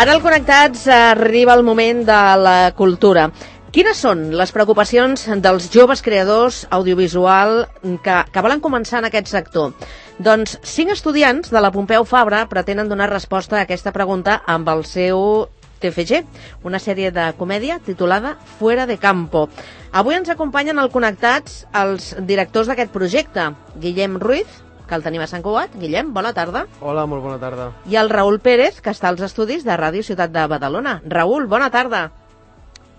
Ara al Connectats arriba el moment de la cultura. Quines són les preocupacions dels joves creadors audiovisual que volen començar en aquest sector? Doncs 5 estudiants de la Pompeu Fabra pretenen donar resposta a aquesta pregunta amb el seu TFG, una sèrie de comèdia titulada Fuera de Campo. Avui ens acompanyen al Connectats els directors d'aquest projecte, Guillem Ruiz, que el tenim a Sant Cugat. Guillem, bona tarda. Hola, molt bona tarda. I el Raül Pérez, que està als estudis de Ràdio Ciutat de Badalona. Raül, bona tarda.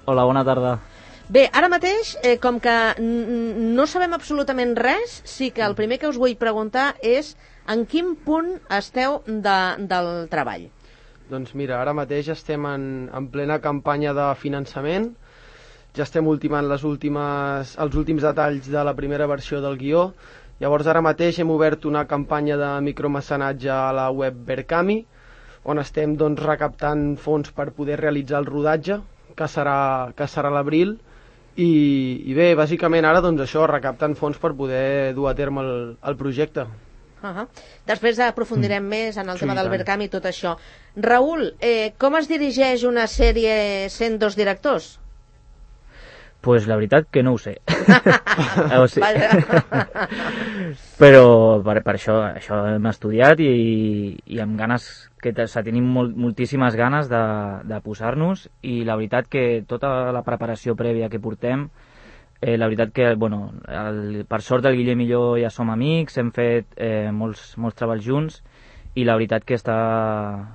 Hola, bona tarda. Bé, ara mateix, com que no sabem absolutament res, sí que el primer que us vull preguntar és en quin punt esteu del treball? Doncs mira, ara mateix estem en plena campanya de finançament, ja estem ultimant els últims detalls de la primera versió del guió. Llavors ara mateix hem obert una campanya de micromecenatge a la web Berkami, on estem doncs recaptant fons per poder realitzar el rodatge, que serà a l'abril, i bé, bàsicament ara doncs això, recaptant fons per poder dur a terme el projecte. Després aprofundirem més en el tema del Berkami i tot això. Raül, com es dirigeix una sèrie sent 2 directors? Pues la veritat que no ho sé. Però per això hem estudiat i amb ganes, tenim moltíssimes ganes de posar-nos, i la veritat que tota la preparació prèvia que portem, la veritat que, bueno, per sort el Guillem i jo ja som amics, hem fet molts treballs junts, i la veritat que està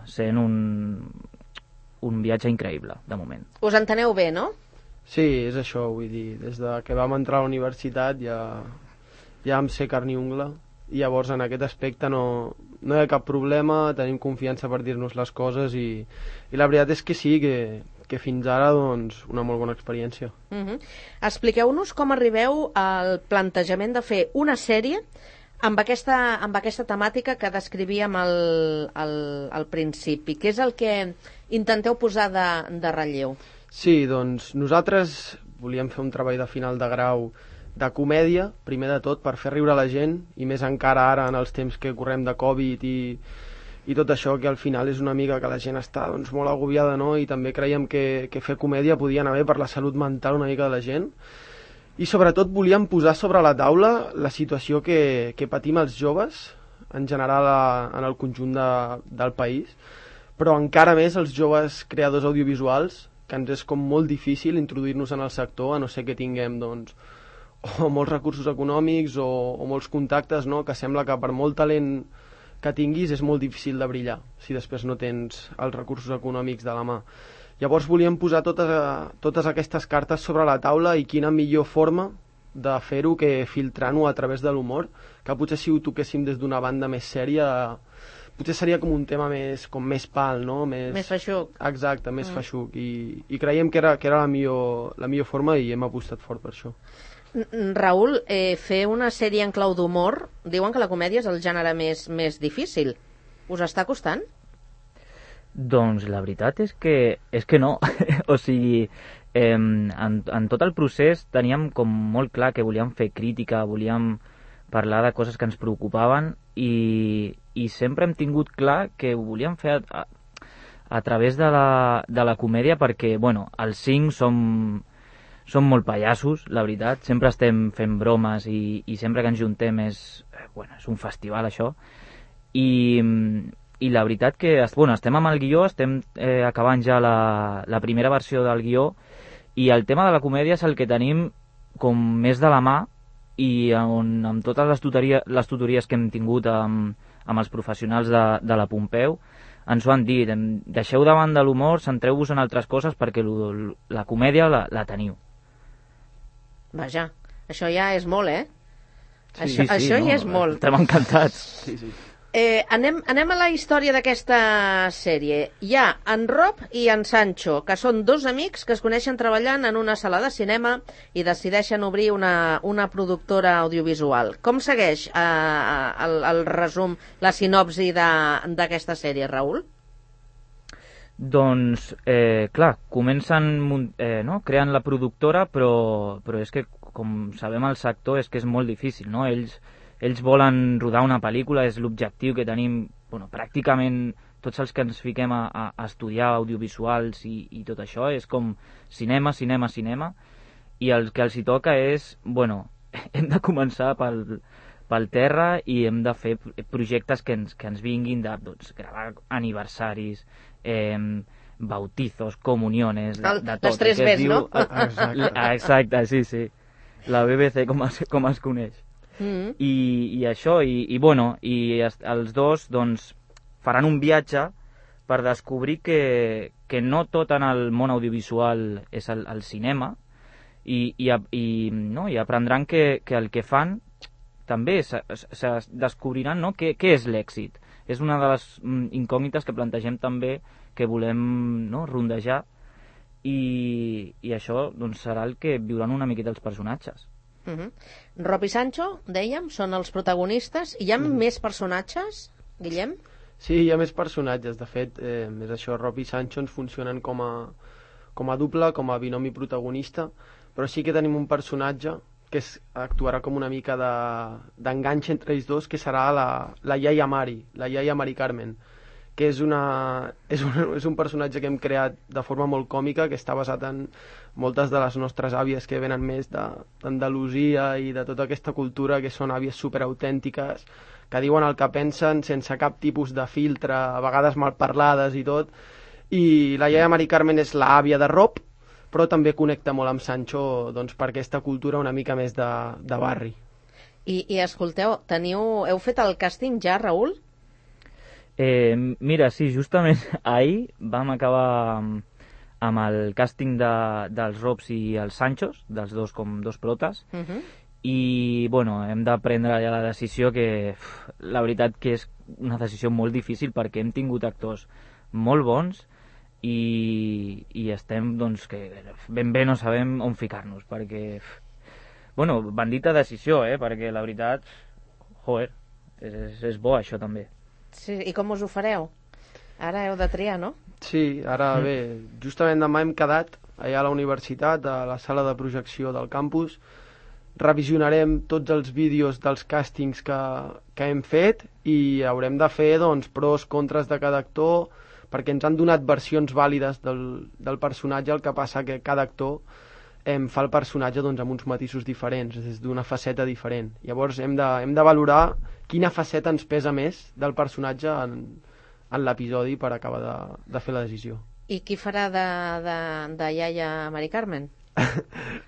sent un viatge increïble, de moment. Us enteneu bé, no? Sí, és això, vull dir, des de que vam entrar a la universitat ja vam ser carn i ungla, i llavors en aquest aspecte no hi ha cap problema, tenim confiança per dir-nos les coses, i la veritat és que sí, que fins ara doncs una molt bona experiència. Expliqueu-nos com arribeu al plantejament de fer una sèrie amb aquesta temàtica que descrivíem al principi. Què és el que intenteu posar de relleu? Sí, doncs nosaltres volíem fer un treball de final de grau de comèdia, primer de tot, per fer riure la gent, i més encara ara en els temps que correm de Covid i tot això, que al final és una mica que la gent està doncs, molt agobiada, no? I també creiem que fer comèdia podia anar bé per la salut mental una mica de la gent. I sobretot volíem posar sobre la taula la situació que patim els joves, en general en el conjunt del país, però encara més els joves creadors audiovisuals, que ens és com molt difícil introduir-nos en el sector, a no ser que tinguem doncs, o molts recursos econòmics o molts contactes, no? Que sembla que per molt talent que tinguis és molt difícil de brillar si després no tens els recursos econòmics de la mà. Llavors volíem posar totes aquestes cartes sobre la taula, i quina millor forma de fer-ho que filtrant-ho a través de l'humor, que potser si ho toquéssim des d'una banda més sèria potser seria com un tema més pal, no? Més feixuc. Exacte, més feixuc, i creiem que era la millor forma, i hem apostat fort per això. Raül, fer una sèrie en clau d'humor, diuen que la comèdia és el gènere més difícil. Us està costant? Doncs la veritat és que no. O sigui, en tot el procés teníem com molt clar que volíem fer crítica, volíem parlar de coses que ens preocupaven, i sempre hem tingut clar que ho volíem fer a través de la comèdia, perquè, bueno, els 5 som molt pallassos, la veritat, sempre estem fent bromes, i sempre que ens juntem és un festival, això, i la veritat que estem amb el guió, estem acabant ja la primera versió del guió, i el tema de la comèdia és el que tenim com més de la mà, i amb totes les tutories que hem tingut amb els professionals de la Pompeu ens ho han dit: deixeu davant de l'humor, centreu-vos en altres coses, perquè la comèdia la teniu. Vaja, això ja és molt, eh? Sí, això ja és molt. Estem encantats. Sí. Anem a la història d'aquesta sèrie. Hi ha en Rob i en Sancho, que són 2 amics que es coneixen treballant en una sala de cinema i decideixen obrir una productora audiovisual. Com segueix el resum, la sinopsi d'aquesta sèrie, Raül? Doncs, clar, comencen creant la productora, però és que, com sabem al sector, és que és molt difícil, no? Ells volen rodar una pel·lícula, és l'objectiu que tenim, pràcticament tots els que ens fiquem a estudiar audiovisuals i tot això, és com cinema, cinema, cinema, i el que els hi toca és, bueno, hem de començar pel terra i hem de fer projectes que ens vinguin de gravar aniversaris, bautizos, comuniones, de tot. Les 3 Bs, no? Exacte, sí. La BBC com es coneix. I això, i els dos doncs faran un viatge per descobrir que no tot en el món audiovisual és el cinema i aprendran que el que fan també se descobriran, no? Què és l'èxit. És una de les incògnites que plantegem també que volem, no, rondejar i això doncs, serà el que viuran una miqueta els personatges. Rob i Sancho, dèiem, són els protagonistes. Hi ha més personatges, Guillem? Sí, hi ha més personatges. De fet, és això, Rob i Sancho ens funcionen com a doble, com a binomi protagonista, però sí que tenim un personatge que actuarà com una mica d'enganx entre ells dos, que serà la iaia Mari, la iaia Mari Carmen, que és un personatge que hem creat de forma molt còmica, que està basat en moltes de les nostres àvies que venen més d'Andalusia i de tota aquesta cultura, que són àvies superautèntiques, que diuen el que pensen sense cap tipus de filtre, a vegades mal parlades i tot. I la iaia Mari Carmen és l'àvia de Rob, però també connecta molt amb Sancho, doncs, per aquesta cultura una mica més de barri. I escolteu, heu fet el càsting ja, Raül? Mira, sí, justament ahir vam acabar amb el càsting dels Robs i els Sanchos, dels dos com dos protes, i bueno, hem de prendre ja la decisió que la veritat que és una decisió molt difícil perquè hem tingut actors molt bons i estem, doncs, que ben bé no sabem on ficar-nos, perquè bueno, bandita decisió, perquè la veritat, joder, és bo això també. Sí, i com us ho fareu? Ara heu de triar, no? Sí, ara bé, justament demà hem quedat allà a la universitat, a la sala de projecció del campus, revisionarem tots els vídeos dels càstings que hem fet i haurem de fer, doncs, pros, contres de cada actor, perquè ens han donat versions vàlides del personatge, el que passa que cada actor fa el personatge, doncs, amb uns matisos diferents, des d'una faceta diferent. Llavors hem de valorar quina faceta ens pesa més del personatge en l'episodi per acabar de fer la decisió. I qui farà de iaia Mari Carmen?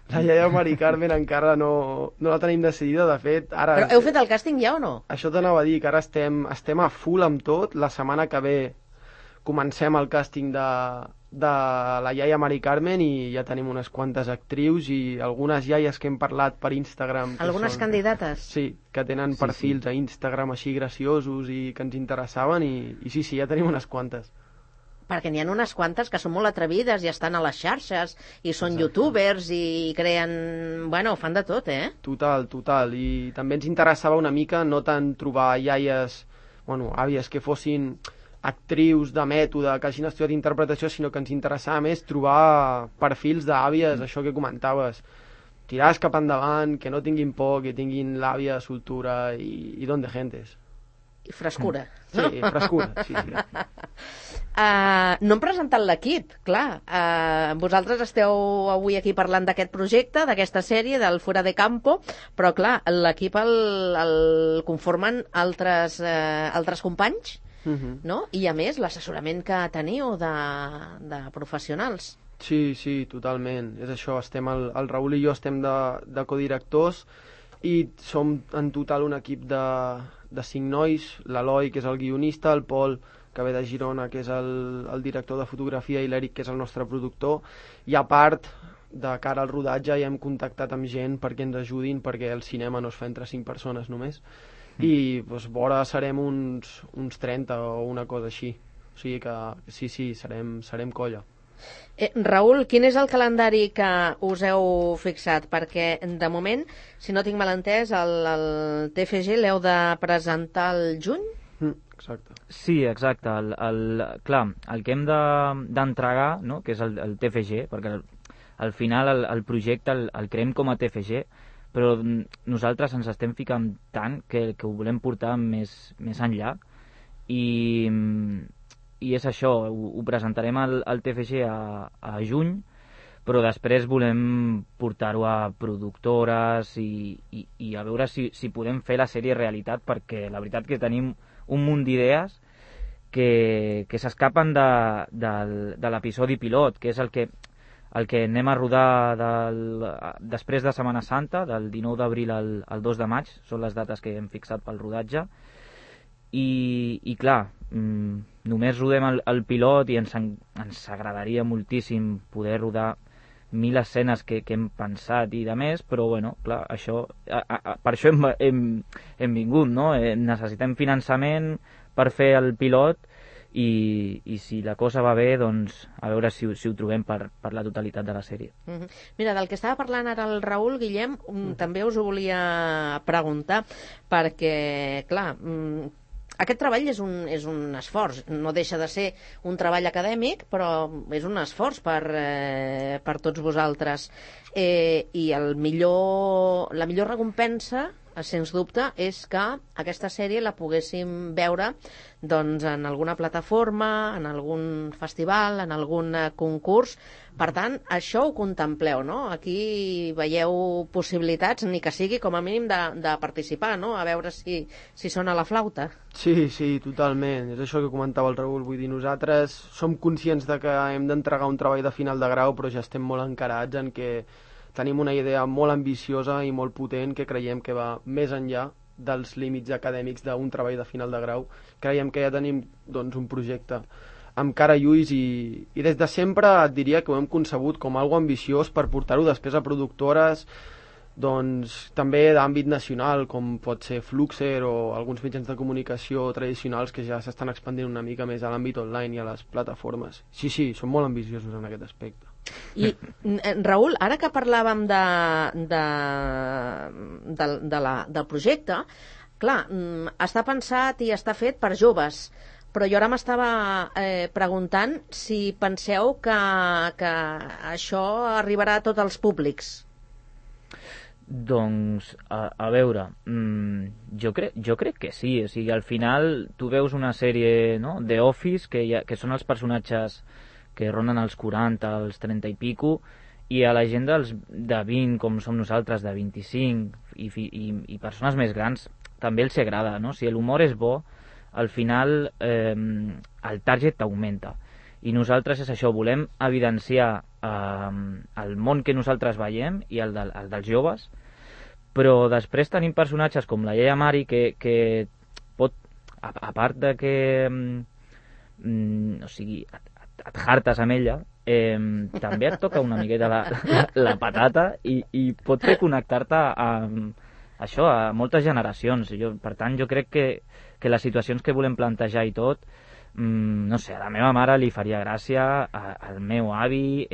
La iaia Mari Carmen encara no la tenim decidida, de fet ara... Però heu fet el càsting ja o no? Això t'anava a dir, que ara estem a full amb tot. La setmana que ve comencem el càsting de la iaia Mari Carmen i ja tenim unes quantes actrius i algunes iaies que hem parlat per Instagram. Algunes candidates? Sí, que tenen perfils a Instagram així graciosos i que ens interessaven i sí, ja tenim unes quantes. Perquè n'hi ha unes quantes que són molt atrevides i estan a les xarxes i són youtubers i creen... Bueno, fan de tot, Total. I també ens interessava una mica no tant trobar iaies, àvies que fossin actrius de mètode, que hagin estudiat interpretació, sinó que ens interessava més trobar perfils d'àvies, això que comentaves, tirades cap endavant, que no tinguin por, que tinguin l'àvia, soltura i don de gentes. I frescura. Sí, frescura, sí. No hem presentat l'equip, clar. Vosaltres esteu avui aquí parlant d'aquest projecte, d'aquesta sèrie, del Fuera de Campo, però clar, l'equip el conformen altres companys, no? I a més, l'assessorament que teniu de professionals. Sí, totalment. És això, el Raül i jo estem de codirectors i som en total un equip de 5 nois, l'Eloi, que és el guionista, el Pol, que ve de Girona, que és el director de fotografia, i l'Eric, que és el nostre productor, i a part, de cara al rodatge, ja hem contactat amb gent perquè ens ajudin, perquè el cinema no es fa entre 5 persones només, i doncs, vora serem uns 30 o una cosa així. O sigui que sí, serem colla. Raül, quin és el calendari que us heu fixat? Perquè, de moment, si no tinc mal entès, el TFG l'heu de presentar al juny? Exacte. Sí, exacte. Clar, el que hem d'entregar, no?, que és el TFG, perquè al final el projecte el creem com a TFG, però nosaltres ens estem ficant tant que ho volem portar més enllà i i és això, ho presentarem al TFG a juny, però després volem portar-ho a productores i a veure si podem fer la sèrie realitat, perquè la veritat que tenim un munt d'idees que s'escapen de l'episodi pilot, que és el que anem a rodar després de Setmana Santa, del 19 d'abril al 2 de maig, són les dates que hem fixat pel rodatge, i clar, només rodem el pilot i ens agradaria moltíssim poder rodar 1000 escenes que hem pensat i de més, però bueno, clar, això, per això hem vingut, no? Necessitem finançament per fer el pilot i si la cosa va bé, doncs a veure si ho trobem per la totalitat de la sèrie. Mira, del que estava parlant ara el Raül, Guillem, també us ho volia preguntar, perquè, clar, aquest treball és un esforç, no deixa de ser un treball acadèmic, però és un esforç per tots vosaltres. I la millor recompensa, sens dubte, és que aquesta sèrie la poguéssim veure doncs, en alguna plataforma, en algun festival, en algun concurs. Per tant, això ho contempleu, no? Aquí veieu possibilitats, ni que sigui com a mínim de participar, no? A veure si sona la flauta. Sí, totalment. És això que comentava el Raül. Vull dir, nosaltres som conscients de que hem d'entregar un treball de final de grau, però ja estem molt encarats en que tenim una idea molt ambiciosa i molt potent que creiem que va més enllà dels límits acadèmics d'un treball de final de grau. Creiem que ja tenim doncs, un projecte amb cara i ulls i des de sempre et diria que ho hem concebut com algo ambiciós per portar-ho després a productores doncs, també d'àmbit nacional, com pot ser Fluxer o alguns mitjans de comunicació tradicionals que ja s'estan expandint una mica més a l'àmbit online i a les plataformes. Sí, som molt ambiciosos en aquest aspecte. I, Raül, ara que parlàvem del projecte, clar, està pensat i està fet per joves, però jo ara m'estava preguntant si penseu que això arribarà a tots els públics. Doncs, a veure, jo crec que sí. O sigui, al final tu veus una sèrie, no?, The Office, que són els personatges que ronden els 40, els 30 i pico, i a la gent de 20, com som nosaltres, de 25, i persones més grans, també els agrada, no? Si l'humor és bo, al final el target augmenta. I nosaltres és això, volem evidenciar el món que nosaltres veiem i el dels joves, però després tenim personatges com la Yaya Mari que pot, a part de que o sigui, et hartes amb ella, també et toca una miqueta la patata i pot fer connectar-te això a moltes generacions. Per tant, jo crec que les situacions que volem plantejar i tot, no sé, a la meva mare li faria gràcia, al meu avi,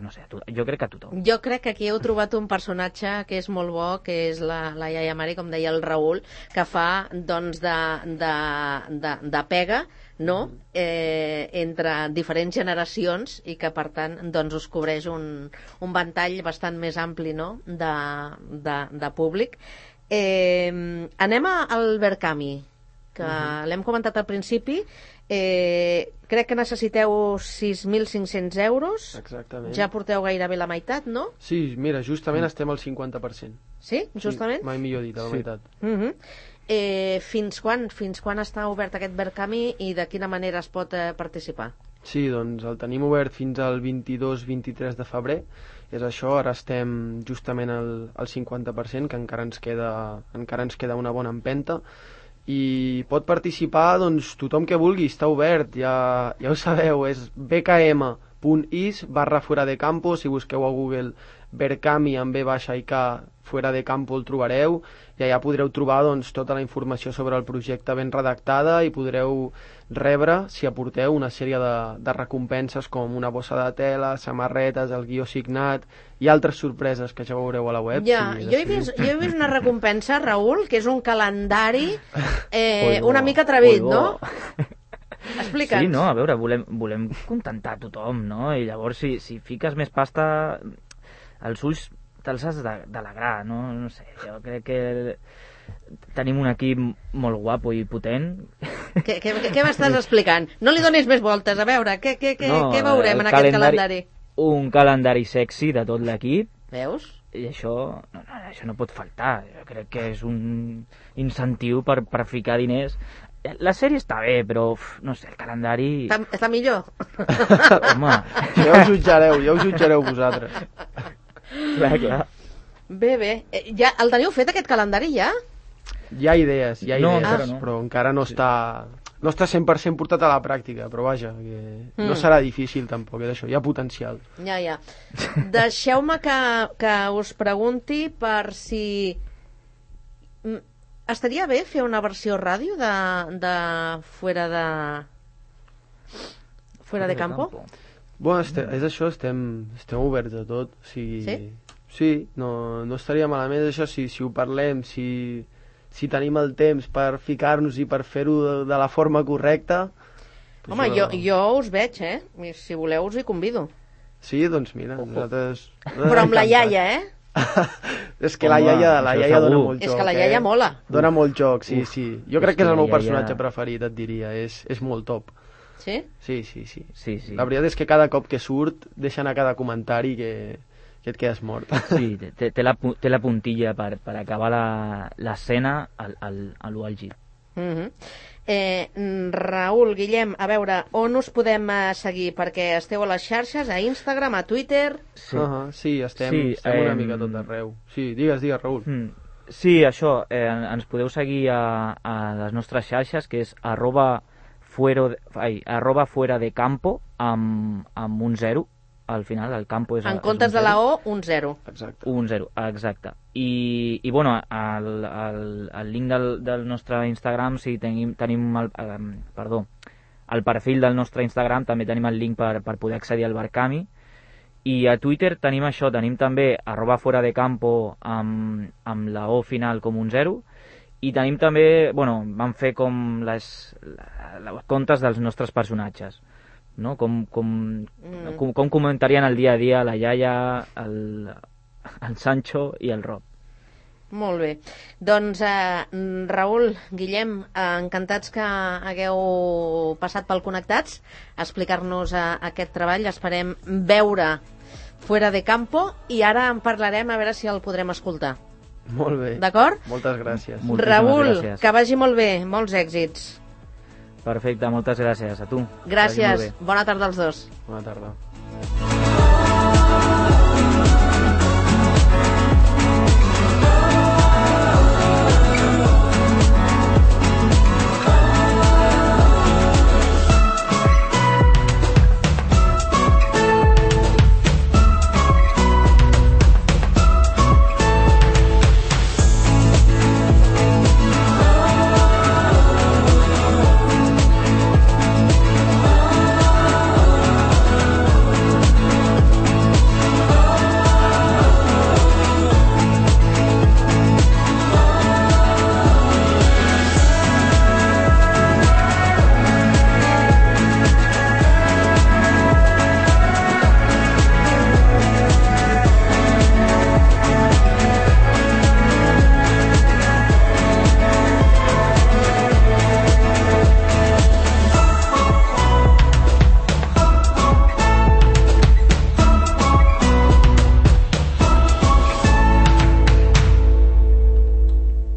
no sé, jo crec que a tothom. Jo crec que aquí heu trobat un personatge que és molt bo, que és la Yaya Mari, com deia el Raül, que fa doncs de pega, no?, entre diferents generacions i que per tant doncs us cobreix un ventall bastant més ampli, no?, de públic. Anem al Berkami, que l'hem comentat al principi. Crec que necessiteu 6.500 euros. Exactament. Ja porteu gairebé la meitat, no? Sí, mira, justament estem al 50%. Sí, justament? Sí, mai millor dit, a la meitat. Fins quan està obert aquest Berkami i de quina manera es pot participar? Sí, doncs el tenim obert fins al 22-23 de febrer. És això, ara estem justament al 50%, que encara ens queda una bona empenta. I pot participar doncs, tothom que vulgui, està obert, ja ho sabeu, és bkm.is/fuera-de-campo. Si busqueu a Google Berkami amb B baixa i K Fuera de Campo el trobareu, i allà podreu trobar doncs, tota la informació sobre el projecte ben redactada i podreu rebre, si aporteu, una sèrie de recompenses com una bossa de tela, samarretes, el guió signat i altres sorpreses que ja veureu a la web. Ja, jo he vist una recompensa, Raül, que és un calendari una mica atrevit, no? Explica'ns. Sí, no, a veure, volem contentar tothom, no? I llavors si fiques més pasta, els ulls te'ls has d'alegrar, no? No sé, jo crec que tenim un equip molt guapo i potent Què m'estàs explicant? No li donis més voltes, a veure, què veurem en aquest calendari? Un calendari sexy de tot l'equip. Veus? I això no pot faltar. Jo crec que és un incentiu per ficar diners. La sèrie està bé, però no sé, el calendari... Està millor? Home... Ja ho jutjareu vosaltres. Clar. Bé. Ja, el teniu fet, aquest calendari, ja? Hi ha idees, no. Però encara no està 100% portat a la pràctica, però vaja, que no serà difícil tampoc, és això, hi ha potencial. Ja. Deixeu-me que us pregunti per si... Estaria bé fer una versió ràdio de Fuera de Campo? Bueno, és això, estem oberts a tot. O sigui, sí? Sí, no estaria malament. És això, si ho parlem, si tenim el temps per ficar-nos i per fer-ho de la forma correcta... Home, jo us veig, Si voleu us hi convido. Sí, doncs mira, nosaltres... Però amb la iaia, És que la iaia dona molt joc. És que la iaia mola. Dona molt joc, sí. Jo crec que és el meu personatge preferit, et diria. És molt top. Sí? Sí. La veritat és que cada cop que surt deixen a cada comentari que et quedes mort. Sí, té la puntilla per acabar l'escena a lo àlgid. Raül, Guillem, a veure, on us podem seguir? Perquè esteu a les xarxes, a Instagram, a Twitter... Sí, estem una mica tot arreu. Sí, digues, Raül. Sí, això, ens podeu seguir a les nostres xarxes, que és @fuera de campo amb un 0 al final, el campo és... En comptes de la O, un 0. Exacte. Un 0, exacte. I bueno, el link del nostre Instagram, sí, tenim el perfil del nostre Instagram, també tenim el link per poder accedir al Barcami. I a Twitter tenim això, tenim també @fuera de campo amb la O final com un 0. I tenim també, bueno, vam fer com les comptes dels nostres personatges, no? Com comentarien el dia a dia la iaia, el Sancho i el Rob. Molt bé. Doncs, Raül, Guillem, encantats que hagueu passat pel Connectats a explicar-nos aquest treball. Esperem veure Fuera de Campo i ara en parlarem a veure si el podrem escoltar. Molt bé. D'acord? Moltes gràcies. Raül, que vagi molt bé. Molts èxits. Perfecte, moltes gràcies a tu. Gràcies. Bona tarda als dos. Bona tarda.